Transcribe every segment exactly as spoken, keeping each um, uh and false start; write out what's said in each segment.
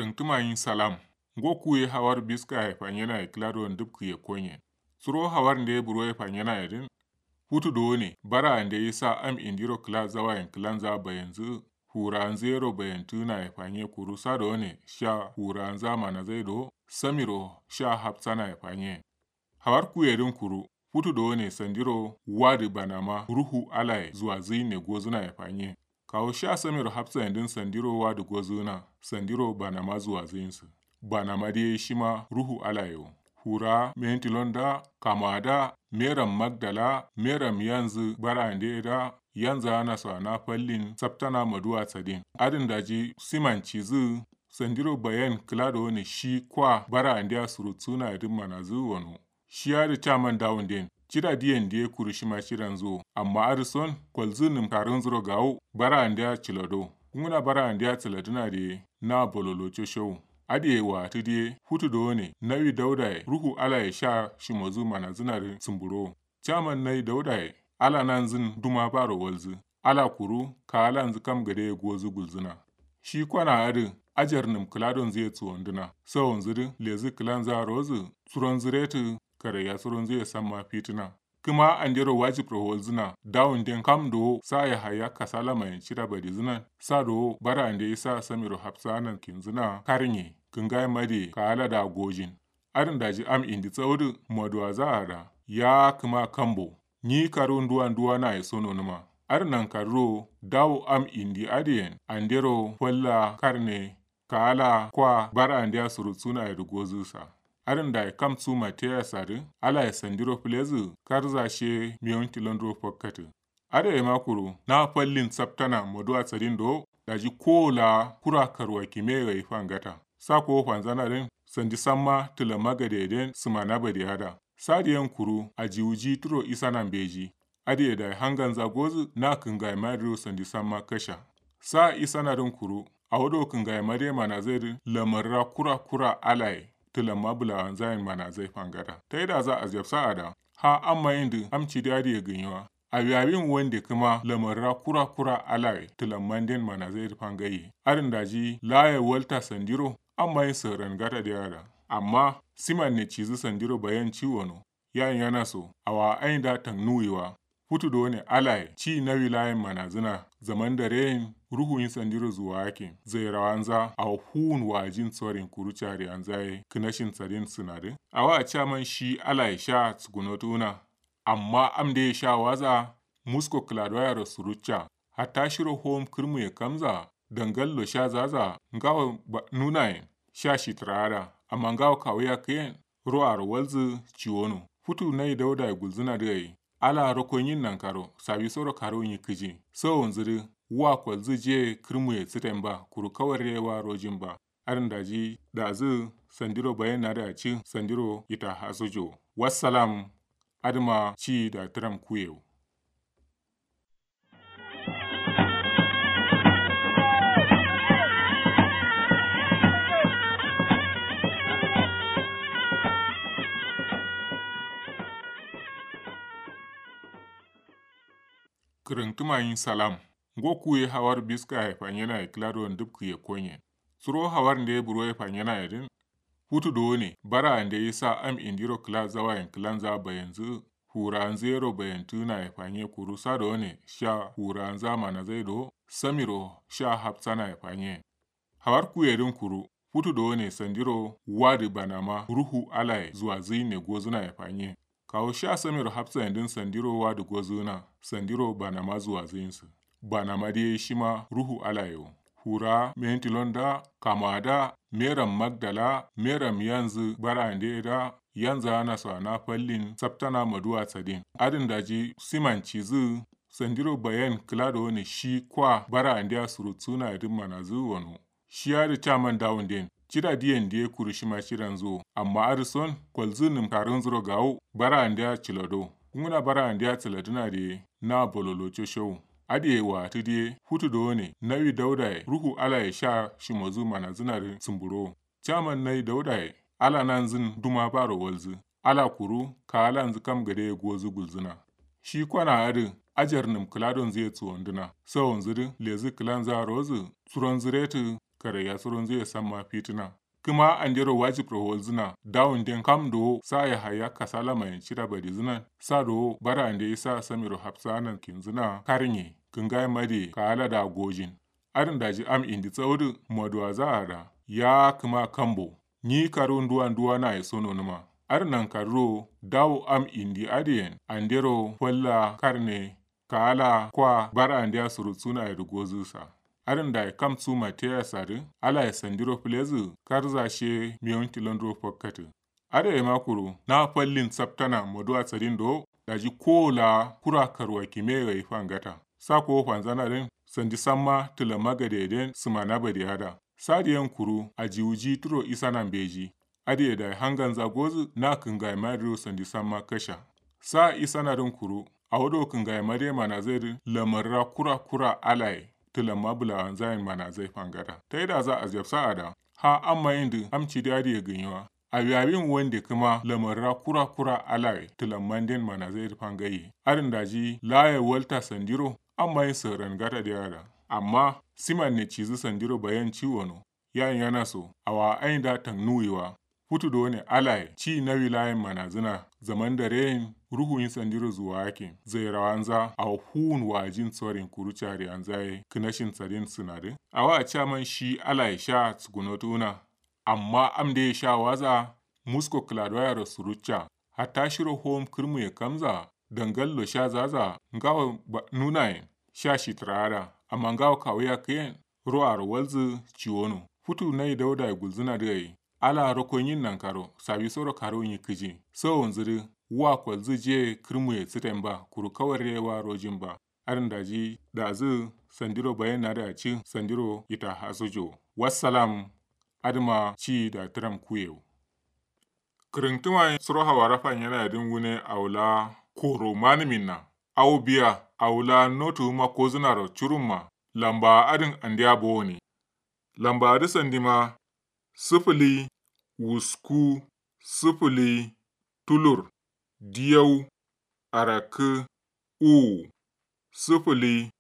Rǝngtǝma nyi salam. Ngo kuye hawar biska ye fanyena ye kǝla do ndǝpkǝ ye konye. Suro hawar nde buro ye fanyena ye dǝn, futu do ne bara ande isa am indiro kǝla zawayen kǝlanza bayanzǝ. Furanzǝ yero bayantǝna ye fanye kuru sa do ne sha furanza manazai do samiro sha hafsana ye fanye. Hawar kuye dǝn kuru futu do ne sandiro wadǝ banama ruhu alaye zuwazǝ ne gozǝna ye fanye. Kawo sha samiro hafsayen dǝn sandiro wadǝ gozǝna sandiro banama zuwazǝ yinsu. Banama dǝ ye shima ruhu alaye wo. Fura mentilon da kama da meram magdala meram yanzǝ bara ande da yanza naso ana fallin saftana maduwa sadin adǝn daji siman cizǝ. Sandiro bayan kǝla do ne shi kwa bara ande a surutsuna ye dǝn manazǝ wono. Shi adǝ caman dawunden cida diyen diye kuru shima cidanzǝ wo amma adǝ son kolzǝ nǝm karunzǝro gawo bara andeya cilado. Kunguna bara andeya ciladǝna diye na bololo coshowu. Adǝye watǝ diye futu do ne nawi daudaye ruhu alaye sha shimozǝ manazǝna dǝ sǝmburo wo. Caman nawi daudaye ala nanzǝn duma baro walzǝ. Ala kuru kaalanzǝ kam gadeye gozǝ gulzǝna. Shi kwana adǝ ajar nǝm kǝladonzǝ ye suwondǝna sawonzǝ dǝ lezǝ kǝlanza rozǝ suronzǝ retǝ karaiya suronzǝ ye samma fitǝna. Kǝma andero wajibro walzǝna dawunden kam dowo sa yahaya kasala mayen cida badizǝnan sa dowo bara ande isa samiro hafsanan kinzǝna karnye kǝngaye madiye kaala da gojin. Adǝn daji am indi tsaudǝ maduwaza ada ya kǝma kambo. Nyi karu nduwa nduwa naye so nonǝma. Adǝ nankaruro dawo am indi adǝyen andero falla karne kaala kwa bara andeya surutsuna ye dǝ gozǝsa. Adǝn dayi kam su mateya sadǝ alaye sandiro fǝlezǝ karza shiye mewun tilonduro fakkatǝ. Adǝ ye ma kuru na fallin saftana maduwa sadin do daji kowo la kura karwa kime gai fangata. Sa kowo fanzana dǝn sandi samma tǝlamma gadeye den sǝmana bade ada. Sa diyen kuru ajiwuji turo isana mbeji. Adǝye dayi hanganza gozǝ na kǝngaye ma dǝro sandi samma kasha. Sa isana dǝn kuru awo do kǝngaye ma dǝ ye manazai dǝ lamarra kura kura alaye tǝlamma bǝlawanzayen manazai fangata taidaza aziyafsa ada. Ha amma yin dǝ am cidi adǝye gǝnyiwa. Awi awin wande kǝma lamarra kura kura alaye tǝlammanden manazai dǝ fangaiye adǝn daji laye walta sandiro amma yin sǝran gata dǝ ye ada. Amma siman ne cizǝ sandiro bayan ciwo no. Yayin yana so awa ayin da tangnuwiwa. Futu do ne alaye ci nawi layen manazǝna zaman dare yin ruhu yin sandiro zuwa akin zairawanza awo fuwun wajin sorin kuru cariyanza ye kǝnashin sadin sǝnadǝ. Awa caman shi alaye sha sukunotuwuna. Amma am dǝ ye sha waza musko kǝladuwa yero surucca. Hatta shiro howom kǝrmuye kamza dangallo sha zaza ngawo nunayen sha shitǝra ada. Amma ngawo kawu yakkǝyen ro aro walzǝ ciwono. Futu nayi daudaye gulzǝna dǝ gai ala roko nyin nankaro sawisoro karu nyi kǝji. Sawonzǝ dǝ wa kolzǝ jiye kǝrmuye sǝten ba kuru kawarre wa rojin ba. Adǝn daji dazǝ sandiro bayen nadǝ acǝ sandiro ita hasujo. Wassalam. Adǝma ci da tǝram kuye wo. Kǝrǝntǝma nyi salam. Ngo kuye hawar biska ye fanyena ye kǝla do ndǝpkǝ ye konye. Suro hawar nde buro ye fanyena ye dǝn futu do ne bara ande isa am indiro kǝla zawayen kǝlanza bayanzǝ. Furanzǝ yero bayantǝna ye fanye kuru sa do ne sha furanza manazai do samiro sha hafsana ye fanye. Hawar kuye dǝn kuru futu do ne sandiro wadǝ banama ruhu alaye zuwazǝ ne gozǝna ye fanye. Kawo sha samiro hafsayen dǝn sandiro wadǝ gozǝna sandiro banama zuwazǝ yinsǝ. Banama dǝ ye shima ruhu alaye wo. Fura mentilon da kama da meram magdala meram yanzǝ bara ande da yanza naso ana fallin saftana maduwa sadin adǝn daji siman cizǝ. Sandiro bayan kǝla do ne shi kwa bara andeya surutsuna ye dǝn manazǝ wono. Shi adǝ caman dawunden cida diyen diye kuru shima cidanzǝ wo amma adǝ son kolzǝ nǝm karunzǝro gawo bara andeya cilado. Kunguna bara andeya ciladǝna diye na bololo coshowu. Adǝye watǝ diye futu do ne nawi daudaye ruhu alaye sha shimozǝ manazǝna dǝ sǝmburo wo. Caman nayi daudaye ala nanzǝn duma baro walzǝ. Ala kuru kaalanzǝ kam gadeye gozǝ gulzǝna. Shi kwana adǝ ajar nǝm kǝladonzǝ ye suwondǝna sawonzǝ dǝ lezǝ kǝlanza rozǝ suronzǝ retǝ. karaiya suronzuye samma fitǝna. Kǝma andero wajibro walzǝna dawunden kam dowo sa yahaya kasala mayen cida badizǝnan sa dowo bara ande isa samiro hafsaanan kinzǝna karnye kǝngaye madiye kaala da gojin. Adǝn daji am indi tsawudǝ moduwaza ada ya kǝma kambo. Nyi karu nduwa nduwa naye so nonuma. Adǝ nankaruro dawo am indi adǝyen andero falla karne kaala kwa bara andeya surutsuna yedǝ gozǝsa. Adǝn dayi kam su mateyasa dǝ alaye sandiro fǝlezǝ karza she mewun tilonduro fakkatǝ. Adǝ ye ma kuru na fallin saptana moduwa sadin do daji kowo la kura karwa kimeyo ye fangata. Sa kowo fanzana dǝn sandi samma tǝlamma gadeye den sǝmana bade ada. Sa diyen kuru ajiwuji turo isana mbeji. Adǝ ye dayi hanganza gozǝ na kǝngaye ma dǝro sandi samma kasha. Sa isana dǝn kuru awo do kǝngaye ma dǝ ye manazai dǝ lamarra kura kura alaye tǝlamma bǝlawanzayen manazai fangata taidaza ajabsa ada. Ha amma yin dǝ am cidi adǝ ye gǝnyi wa. Awi awin wande kǝma lamarra kura kura alaye tǝlamman den manazai dǝ fangaiye adǝn daji laye walta sandiro amma yin sǝran gata dǝ ye ada. Amma siman ne cizǝ sandiro bayan ciwo no. Yayin yana so awa ayin da tangnuwi wa. Futu done alaye ci nawi layin manazǝna zaman dare yin ruhu yin sandiro zuwa akin zairawanza awo fuwun wajin sorin kuru cariyanza ye kǝnashin sadin sǝnadǝ. Awa caman shi alaye sha sukunotu wuna. Amma am dǝ ye sha waza musko kǝladuwa yero surucca. Hatta shiro hom kǝrmuye kamza dangallo sha zaza ngawo nunayen sha shitǝra ada. Amma ngawo kawu yakkǝyen ro aro walzǝ ciwono. Futu nai daudaye gulzǝna dǝ gai ala roko nyin nankaro sawisoro karu nyi kǝji. Sawonzǝ dǝ wa kolzǝ je kǝrmuye sǝten ba kuru kawarre wa rojin ba. Adǝn daji dazǝ sandiro bayen nadǝ acci sandiro ita hasujo. Wassalam. Adǝma ci da tǝram kuyewo. Kǝrǝntǝma suro hawara fanyena yadǝn wune awo la koro manǝminna. Awo biya awo la notuwuma kozǝnaro curumma. Lamba adǝn andeya bowone. Lamba adǝ sandima sǝfǝli wusku sǝfǝli tulur diyau arakkǝ uwu sǝfǝli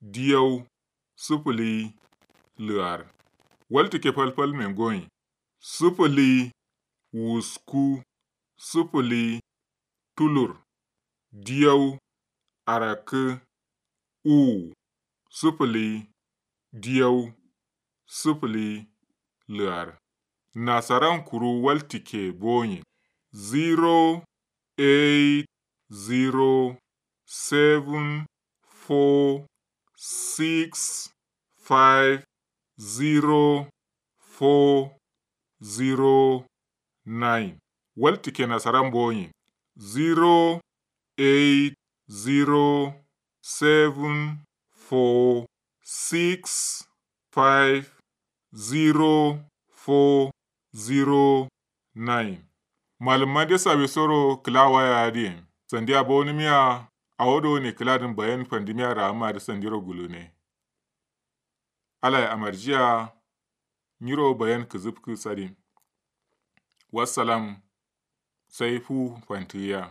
diyau sǝfǝli lǝar. Waltǝkke falfal mengonyi sǝfǝli wusku sǝfǝli tulur diyau arakkǝ uwu sǝfǝli diyau sǝfǝli lǝar. Nasaran kuru waltǝkke bonyi zero eight zero seven four six five zero four zero nine. Waltǝkke nasaran bonyi zero eight zero seven four six five zero four zero nine. Malǝmma de sawisoro kǝla waya adǝyen sandiya bowonǝmiya. Awo done kǝladǝn bayan fandǝmiya ra'amma dǝ sandiro gulune. Alaye amarjiya. Nyiro bayan kǝzǝfkǝ sadin. Wassalam. Sai fu fantǝgǝya.